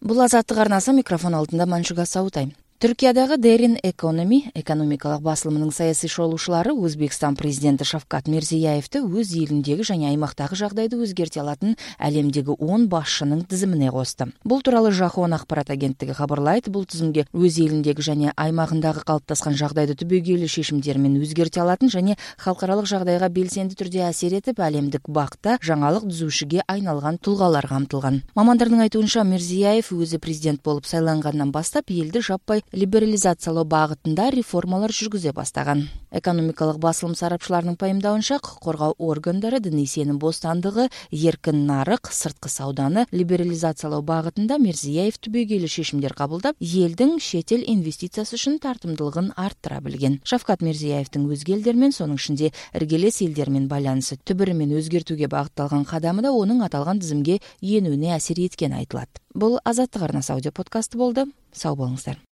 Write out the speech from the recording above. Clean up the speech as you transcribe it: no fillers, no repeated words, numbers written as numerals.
Бул Азаттык арнасы, микрофон алдында Маншуга Саутай. Түркиядагы Дерин экономикалык басылымынын саясий шолушулары Өзбекстан президенти Шавкат Мирзияевди өз элиндеги жана аймактагы жагдайды өзгерте алатын әлемдеги 10 башчынын тизимине косду. Бул тууралуу Жахон акпарат агенттиги кабарлайт. Бул тизимге өз элиндеги жана аймагындагы калыптаскан жагдайды түбөгөйлүү шешимдер менен өзгерте алатын жана халкаралык жагдайга белсенди түрдө асер этип, әлемдик бакта жаңалык түзүүшүгө айналган тулгалар камтылган. Мамандардын айтуунча, Мирзияев өзү президент болуп сайлангандан баштап элди жаппай либерализациялоо багытында реформалар жүргүзө баштаган. Экономикалык басылым сарапчыларынын пайымдауынча, укук коргоо органдары диний сеним бостандыгы, эркин нарык, сырткы сауданы либерализациялоо багытында Мирзияев түбөгөйлүү шешимдер кабылдап, элдин чет эл инвестициясы үчүн тартымдуулугун арттыра билген. Шавкат Мирзияевдин өзге элдер менен, сонун ичинде иргелес элдер менен байланышы түбүрү менен өзгөртүүгө багытталган кадамы да онун аталган тизимге энүүнө асер эткени айтылат. Бул Азаттык арнасы аудио подкасты болду. Сау болуңуздар.